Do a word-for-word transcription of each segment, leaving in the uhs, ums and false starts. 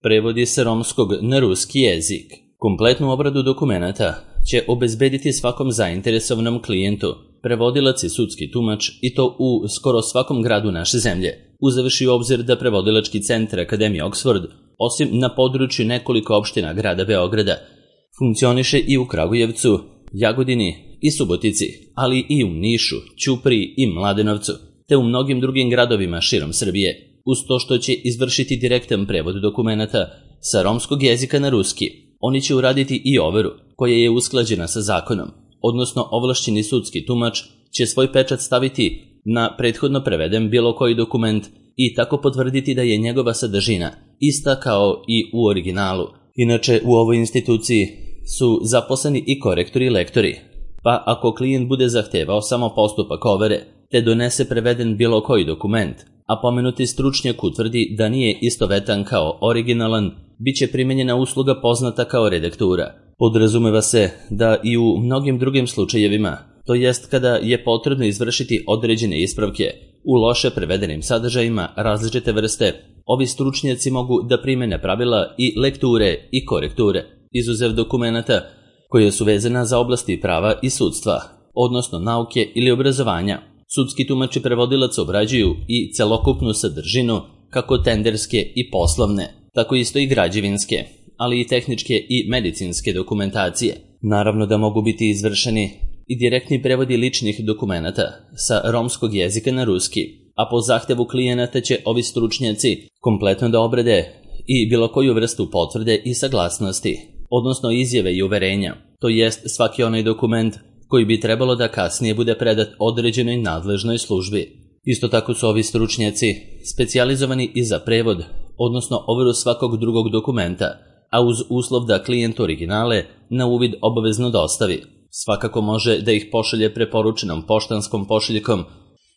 Prevodi sa romskog na ruski jezik. Kompletnu obradu dokumenata će obezbediti svakom zainteresovanom klijentu, prevodilac i sudski tumač, i to u skoro svakom gradu naše zemlje, uzevši u obzir da prevodilački centar Akademije Oxford, osim na području nekoliko opština grada Beograda, funkcioniše i u Kragujevcu, Jagodini i Subotici, ali i u Nišu, Ćupriji i Mladenovcu, te u mnogim drugim gradovima širom Srbije, uz to što će izvršiti direktan prevod dokumenata sa romskog jezika na ruski. Oni će uraditi i overu, koja je usklađena sa zakonom, odnosno ovlašćeni sudski tumač će svoj pečat staviti na prethodno preveden bilo koji dokument i tako potvrditi da je njegova sadržina ista kao i u originalu. Inače, u ovoj instituciji su zaposleni i korektori i lektori, pa ako klijent bude zahtevao samo postupak overe, te donese preveden bilo koji dokument, a pomenuti stručnjak utvrdi da nije istovetan kao originalan, bit će primenjena usluga poznata kao redaktura. Podrazumeva se da i u mnogim drugim slučajevima, to jest kada je potrebno izvršiti određene ispravke u loše prevedenim sadržajima različite vrste, ovi stručnjaci mogu da primene pravila i lekture i korekture, izuzev dokumenata koje su vezana za oblasti prava i sudstva, odnosno nauke ili obrazovanja. Sudski tumači prevodilac obrađuju i celokupnu sadržinu, kako tenderske i poslovne, tako isto i građevinske, ali i tehničke i medicinske dokumentacije. Naravno da mogu biti izvršeni i direktni prevodi ličnih dokumenata sa romskog jezika na ruski, a po zahtevu klijenata će ovi stručnjaci kompletno da obrade i bilo koju vrstu potvrde i saglasnosti, odnosno izjave i uverenja, to jest svaki onaj dokument koji bi trebalo da kasnije bude predat određenoj nadležnoj službi. Isto tako su ovi stručnjaci specijalizovani i za prevod, odnosno overu svakog drugog dokumenta, a uz uslov da klijent originale na uvid obavezno dostavi. Svakako može da ih pošalje preporučenom poštanskom pošiljkom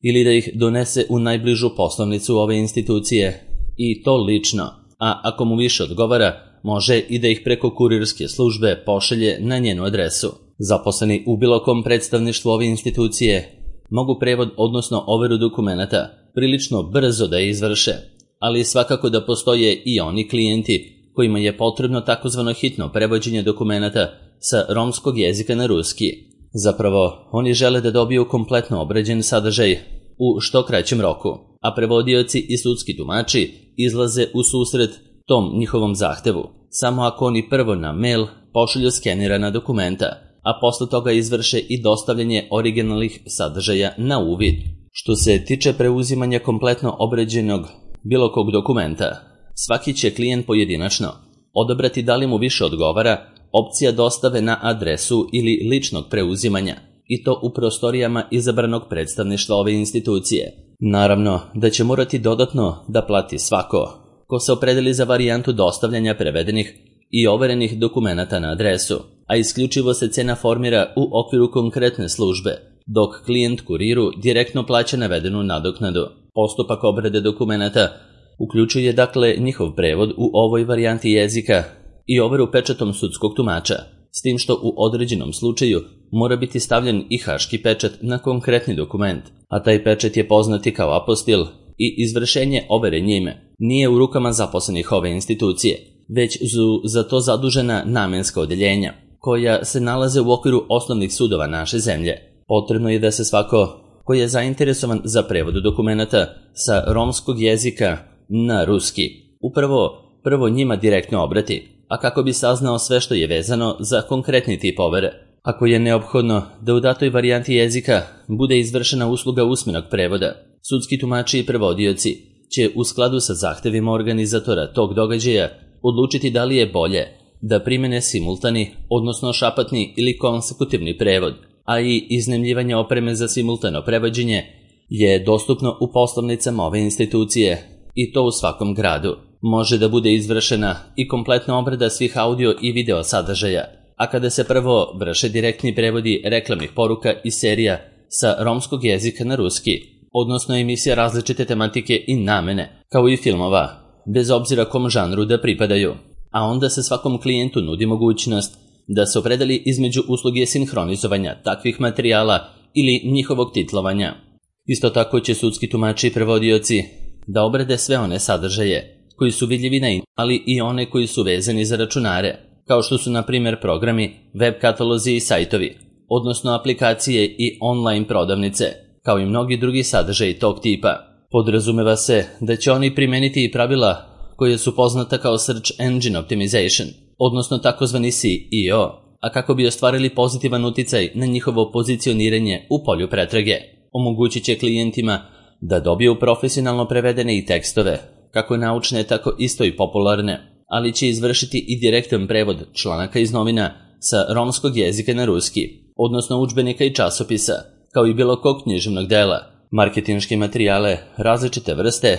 ili da ih donese u najbližu poslovnicu ove institucije, i to lično, a ako mu više odgovara, može i da ih preko kurirske službe pošalje na njenu adresu. Zaposleni u bilo kom predstavništvu ove institucije mogu prevod, odnosno overu dokumenata, prilično brzo da je izvrše, ali svakako da postoje i oni klijenti kojima je potrebno takozvano hitno prevođenje dokumenata sa romskog jezika na ruski. Zapravo, oni žele da dobiju kompletno obrađen sadržaj u što kraćem roku, a prevodioci i sudski tumači izlaze u susret tom njihovom zahtevu, samo ako oni prvo na mail pošalju skenirana dokumenta, a posle toga izvrše i dostavljanje originalnih sadržaja na uvid. Što se tiče preuzimanja kompletno obrađenog bilo kog dokumenta, svaki će klijent pojedinačno odabrati da li mu više odgovara opcija dostave na adresu ili ličnog preuzimanja, i to u prostorijama izabranog predstavništva ove institucije. Naravno da će morati dodatno da plati svako ko se opredeli za varijantu dostavljanja prevedenih i overenih dokumenata na adresu, a isključivo se cena formira u okviru konkretne službe, dok klijent kuriru direktno plaća navedenu nadoknadu. Postupak obrade dokumenata uključuje dakle njihov prevod u ovoj varijanti jezika i overu pečatom sudskog tumača, s tim što u određenom slučaju mora biti stavljen i haški pečat na konkretni dokument, a taj pečat je poznati kao apostil i izvršenje overe njime nije u rukama zaposlenih ove institucije, već su za to zadužena namenska odeljenja, koja se nalaze u okviru osnovnih sudova naše zemlje. Potrebno je da se svako koji je zainteresovan za prevod dokumenata sa romskog jezika na ruski upravo prvo njima direktno obrati, a kako bi saznao sve što je vezano za konkretni tip overe. Ako je neophodno da u datoj varijanti jezika bude izvršena usluga usmenog prevoda, sudski tumači i prevodioci će u skladu sa zahtevima organizatora tog događaja odlučiti da li je bolje da primene simultani, odnosno šapatni ili konsekutivni prevod, a i iznajmljivanje opreme za simultano prevođenje je dostupno u poslovnicama ove institucije, i to u svakom gradu. Može da bude izvršena i kompletna obrada svih audio i video sadržaja, a kada se prvo vrše direktni prevodi reklamnih poruka i serija sa romskog jezika na ruski, odnosno emisija različite tematike i namene, kao i filmova, bez obzira kom žanru da pripadaju, a onda se svakom klijentu nudi mogućnost da se opredeli između usluge sinhronizovanja takvih materijala ili njihovog titlovanja. Isto tako će sudski tumači i prevodioci da obrade sve one sadržaje koji su vidljivi na internetu, ali i one koji su vezani za računare, kao što su na primjer programi, web katalozi i sajtovi, odnosno aplikacije i online prodavnice, kao i mnogi drugi sadržaji tog tipa. Podrazumeva se da će oni primeniti i pravila koje su poznata kao Search Engine Optimization, odnosno takozvani S E O, a kako bi ostvarili pozitivan uticaj na njihovo pozicioniranje u polju pretrage. Omogućit će klijentima da dobiju profesionalno prevedene i tekstove, kako naučne, tako isto i popularne, ali će izvršiti i direktan prevod članaka iz novina sa romskog jezika na ruski, odnosno udžbenika i časopisa, kao i bilo kog književnog dela. Marketinške materijale različite vrste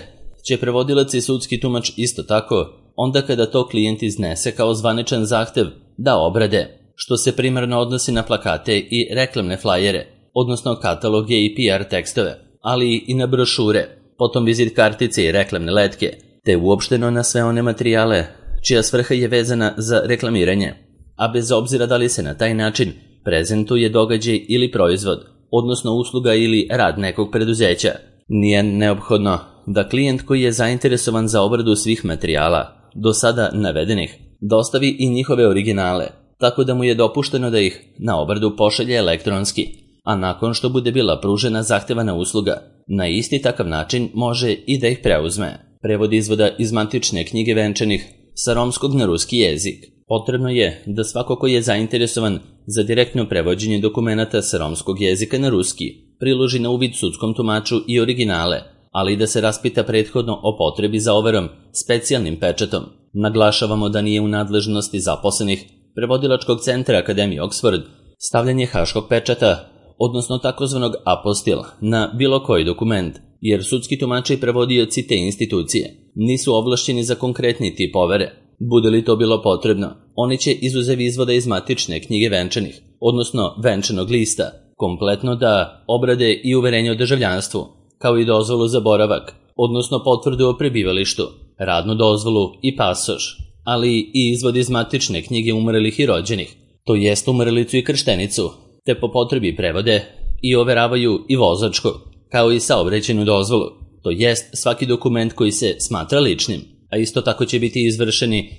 će prevodilac i sudski tumač isto tako, onda kada to klijent iznese kao zvaničan zahtev da obrade, što se primarno odnosi na plakate i reklamne flajere, odnosno kataloge i P R tekstove, ali i na brošure, potom vizit kartice i reklamne letke, te uopšteno na sve one materijale čija svrha je vezana za reklamiranje, a bez obzira da li se na taj način prezentuje događaj ili proizvod, odnosno usluga ili rad nekog preduzeća. Nije neophodno da klijent koji je zainteresovan za obradu svih materijala, do sada navedenih, dostavi i njihove originale, tako da mu je dopušteno da ih na obradu pošalje elektronski, a nakon što bude bila pružena zahtevana usluga, na isti takav način može i da ih preuzme. Prevod izvoda iz matične knjige venčanih sa romskog na ruski jezik. Potrebno je da svako ko je zainteresovan za direktno prevođenje dokumenata sa romskog jezika na ruski priloži na uvid sudskom tumaču i originale, ali i da se raspita prethodno o potrebi za overom specijalnim pečatom. Naglašavamo da nije u nadležnosti zaposlenih prevodilačkog centra Akademije Oxford stavljanje haškog pečata, odnosno takozvanog apostil, na bilo koji dokument, jer sudski tumači i prevodioci te institucije nisu ovlašćeni za konkretni tip overe. Bude li to bilo potrebno, oni će izuzev izvoda iz matične knjige venčanih, odnosno venčanog lista, kompletno da obrade i uverenje o državljanstvu, kao i dozvolu za boravak, odnosno potvrdu o prebivalištu, radnu dozvolu i pasoš, ali i izvod iz matične knjige umrlih i rođenih, to jest umrlicu i krštenicu, te po potrebi prevode i overavaju i vozačku, kao i saobraćajnu dozvolu, to jest svaki dokument koji se smatra ličnim, a isto tako će biti izvršeni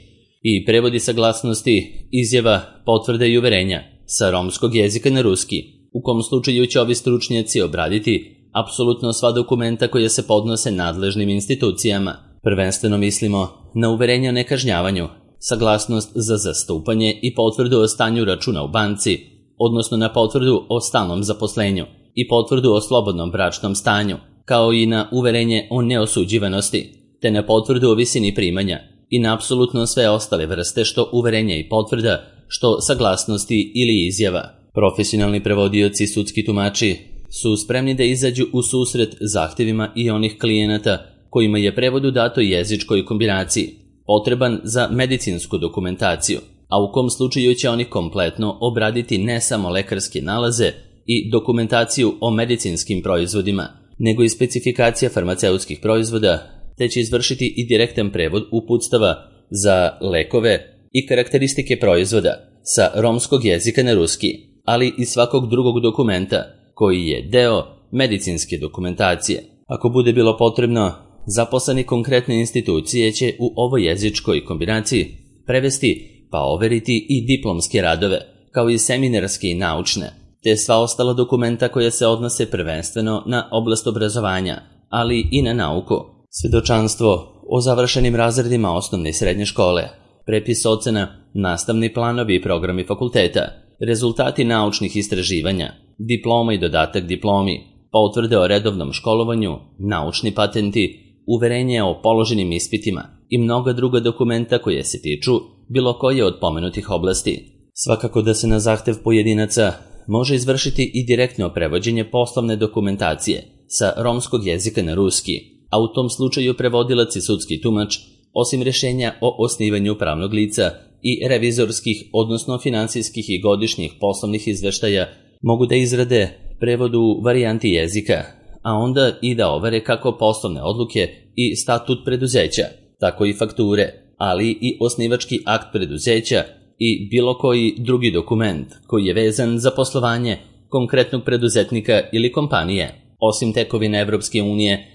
i prevodi saglasnosti, izjava, potvrde i uverenja sa romskog jezika na ruski, u kom slučaju će ovi stručnjaci obraditi apsolutno sva dokumenta koja se podnose nadležnim institucijama. Prvenstveno mislimo na uverenje o nekažnjavanju, saglasnost za zastupanje i potvrdu o stanju računa u banci, odnosno na potvrdu o stalnom zaposlenju i potvrdu o slobodnom bračnom stanju, kao i na uverenje o neosuđivanosti, te na potvrdu o visini primanja i na apsolutno sve ostale vrste što uverenja i potvrda, što saglasnosti ili izjava. Profesionalni prevodioci i sudski tumači su spremni da izađu u susret zahtevima i onih klijenata kojima je prevod u datoj jezičkoj kombinaciji potreban za medicinsku dokumentaciju, a u kom slučaju će oni kompletno obraditi ne samo lekarske nalaze i dokumentaciju o medicinskim proizvodima, nego i specifikacija farmaceutskih proizvoda, te će izvršiti i direktan prevod uputstava za lekove i karakteristike proizvoda sa romskog jezika na ruski, ali i svakog drugog dokumenta koji je deo medicinske dokumentacije. Ako bude bilo potrebno, zaposleni konkretne institucije će u ovoj jezičkoj kombinaciji prevesti pa overiti i diplomske radove, kao i seminarske i naučne, te sva ostala dokumenta koja se odnose prvenstveno na oblast obrazovanja, ali i na nauku. Svjedočanstvo o završenim razredima osnovne i srednje škole, prepis ocena, nastavni planovi i programi fakulteta, rezultati naučnih istraživanja, diploma i dodatak diplomi, potvrde o redovnom školovanju, naučni patenti, uverenje o položenim ispitima i mnoga druga dokumenta koje se tiču bilo koje od pomenutih oblasti. Svakako da se na zahtev pojedinaca može izvršiti i direktno prevođenje poslovne dokumentacije sa romskog jezika na ruski, a u tom slučaju prevodilac i sudski tumač, osim rješenja o osnivanju pravnog lica i revizorskih, odnosno finansijskih i godišnjih poslovnih izveštaja, mogu da izrade prevod u varijanti jezika, a onda i da overe kako poslovne odluke i statut preduzeća, tako i fakture, ali i osnivački akt preduzeća i bilo koji drugi dokument koji je vezan za poslovanje konkretnog preduzetnika ili kompanije. Osim tekovine Evropske unije,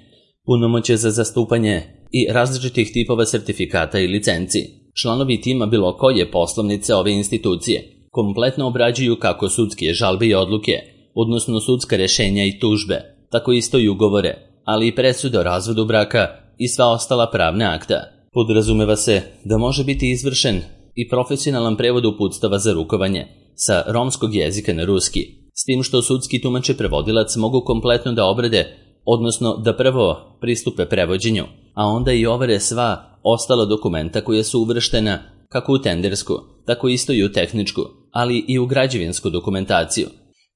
punomoćje za zastupanje i različitih tipova sertifikata i licenci. Članovi tima bilo koje poslovnice ove institucije kompletno obrađuju kako sudske žalbe i odluke, odnosno sudska rešenja i tužbe, tako isto i ugovore, ali i presude o razvodu braka i sva ostala pravna akta. Podrazumeva se da može biti izvršen i profesionalan prevod uputstava za rukovanje sa romskog jezika na ruski, s tim što sudski tumač i prevodilac mogu kompletno da obrade, odnosno da prvo pristupe prevođenju, a onda i overe sva ostala dokumenta koja su uvrštena kako u tendersku, tako isto i u tehničku, ali i u građevinsku dokumentaciju,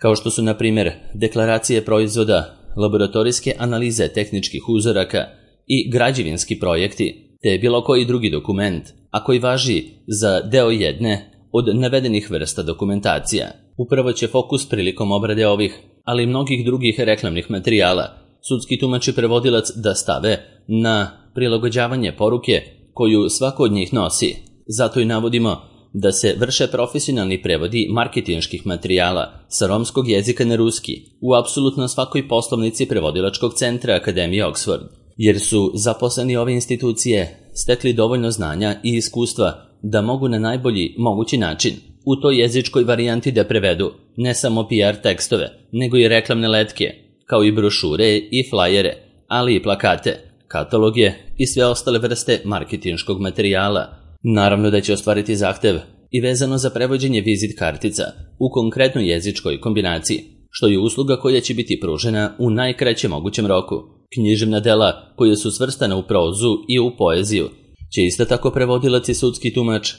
kao što su na primjer deklaracije proizvoda, laboratorijske analize tehničkih uzoraka i građevinski projekti, te bilo koji drugi dokument, a koji važi za deo jedne od navedenih vrsta dokumentacija. Upravo će fokus prilikom obrade ovih, ali i mnogih drugih reklamnih materijala, sudski tumač i prevodilac da stave na prilagođavanje poruke koju svako od njih nosi. Zato i navodimo da se vrše profesionalni prevodi marketinških materijala sa romskog jezika na ruski u apsolutno svakoj poslovnici prevodilačkog centra Akademije Oxford, jer su zaposleni ove institucije stekli dovoljno znanja i iskustva da mogu na najbolji mogući način u toj jezičkoj varijanti da prevedu ne samo P R tekstove, nego i reklamne letke, kao i brošure i flajere, ali i plakate, kataloge i sve ostale vrste marketinškog materijala. Naravno da će ostvariti zahtev i vezano za prevođenje vizit kartica u konkretnoj jezičkoj kombinaciji, što je usluga koja će biti pružena u najkraćem mogućem roku. Književna dela koje su svrstane u prozu i u poeziju će isto tako prevodilac i sudski tumač,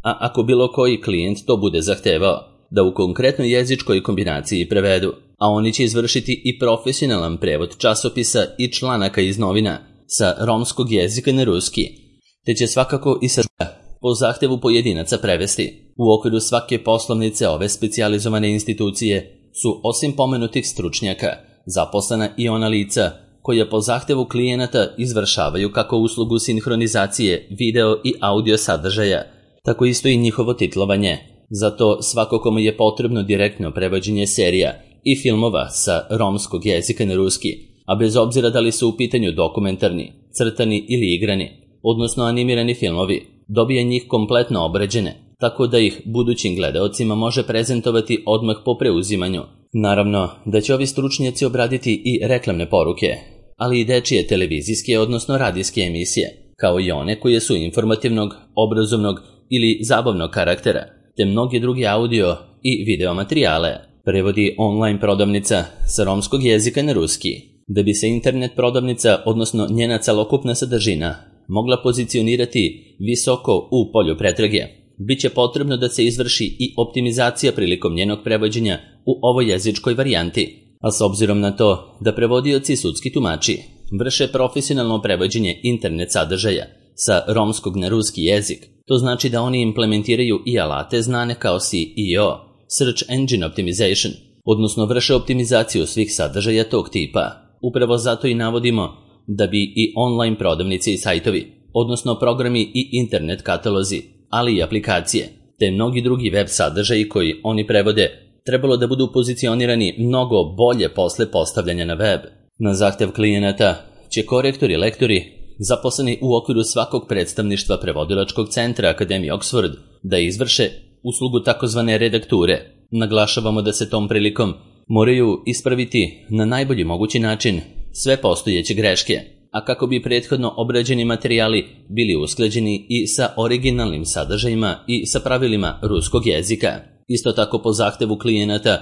a ako bilo koji klijent to bude zahtevao, da u konkretnoj jezičkoj kombinaciji prevedu, a oni će izvršiti i profesionalan prevod časopisa i članaka iz novina sa romskog jezika na ruski, te će svakako i sa po zahtevu pojedinaca prevesti. U okviru svake poslovnice ove specijalizovane institucije su osim pomenutih stručnjaka zaposlena i ona lica koja po zahtevu klijenata izvršavaju kako uslugu sinhronizacije video i audio sadržaja, tako isto i njihovo titlovanje. Zato svako kome je potrebno direktno prevođenje serija i filmova sa romskog jezika na ruski, a bez obzira da li su u pitanju dokumentarni, crtani ili igrani, odnosno animirani filmovi, dobije njih kompletno obrađene, tako da ih budućim gledaocima može prezentovati odmah po preuzimanju. Naravno da će ovi stručnjaci obraditi i reklamne poruke, ali i dečije televizijske, odnosno radijske emisije, kao i one koje su informativnog, obrazovnog ili zabavnog karaktera, te mnogi drugi audio i video materijale. Prevodi online prodavnica sa romskog jezika na ruski. Da bi se internet prodavnica, odnosno njena celokupna sadržina, mogla pozicionirati visoko u polju pretrage, biće potrebno da se izvrši i optimizacija prilikom njenog prevođenja u ovoj jezičkoj varijanti, a s obzirom na to da prevodioci i sudski tumači vrše profesionalno prevođenje internet sadržaja sa romskog na ruski jezik, to znači da oni implementiraju i alate znane kao S E O, Search Engine Optimization, odnosno vrše optimizaciju svih sadržaja tog tipa. Upravo zato i navodimo da bi i online prodavnice i sajtovi, odnosno programi i internet katalozi, ali i aplikacije, te mnogi drugi web sadržaji koji oni prevode, trebalo da budu pozicionirani mnogo bolje posle postavljanja na web. Na zahtev klijenata će korektori i lektori, zaposleni u okviru svakog predstavništva prevodilačkog centra Akademije Oxford, da izvrše uslugu takozvane redakture. Naglašavamo da se tom prilikom moraju ispraviti na najbolji mogući način sve postojeće greške, a kako bi prethodno obrađeni materijali bili usklađeni i sa originalnim sadržajima i sa pravilima ruskog jezika. Isto tako po zahtevu klijenata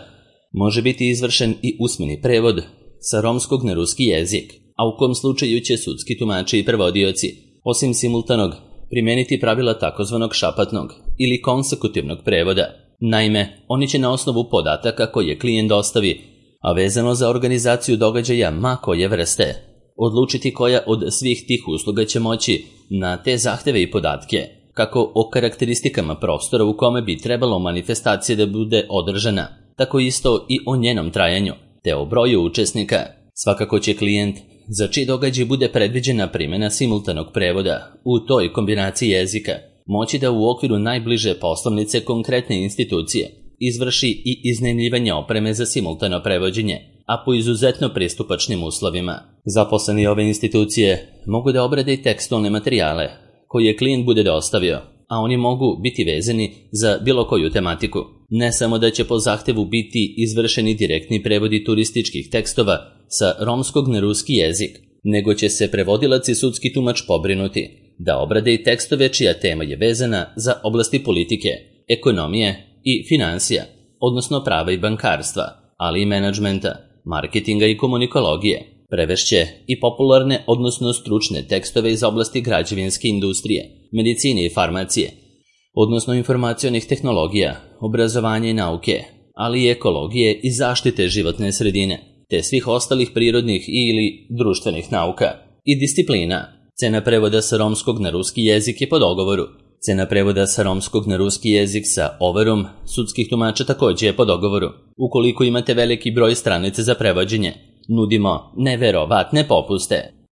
može biti izvršen i usmeni prevod sa romskog na ruski jezik, a u kom slučaju će sudski tumači i prevodioci, osim simultanog, primijeniti pravila takozvanog šapatnog ili konsekutivnog prevoda. Naime, oni će na osnovu podataka koje klijent dostavi, a vezano za organizaciju događaja ma koje vrste, odlučiti koja od svih tih usluga će moći na te zahteve i podatke, kako o karakteristikama prostora u kome bi trebalo manifestacija da bude održana, tako isto i o njenom trajanju, te o broju učesnika. Svakako će klijent, za čiji događaj bude predviđena primjena simultanog prevoda u toj kombinaciji jezika, moći da u okviru najbliže poslovnice konkretne institucije izvrši i iznajmljivanje opreme za simultano prevođenje, a po izuzetno pristupačnim uslovima. Zaposleni ove institucije mogu da obrade i tekstualne materijale koje klijent bude dostavio, a oni mogu biti vezani za bilo koju tematiku. Ne samo da će po zahtevu biti izvršeni direktni prevodi turističkih tekstova sa romskog na ruski jezik, nego će se prevodilac i sudski tumač pobrinuti da obrade i tekstove čija tema je vezana za oblasti politike, ekonomije i finansija, odnosno prava i bankarstva, ali i menadžmenta, marketinga i komunikologije. Prevešće i popularne, odnosno stručne tekstove iz oblasti građevinske industrije, medicine i farmacije, odnosno informacionih tehnologija, obrazovanja i nauke, ali i ekologije i zaštite životne sredine, te svih ostalih prirodnih ili društvenih nauka i disciplina. Cena prevoda sa romskog na ruski jezik je po dogovoru. Cena prevoda sa romskog na ruski jezik sa overom sudskih tumača također je po dogovoru. Ukoliko imate veliki broj stranica za prevođenje, nudimo neverovatne popuste.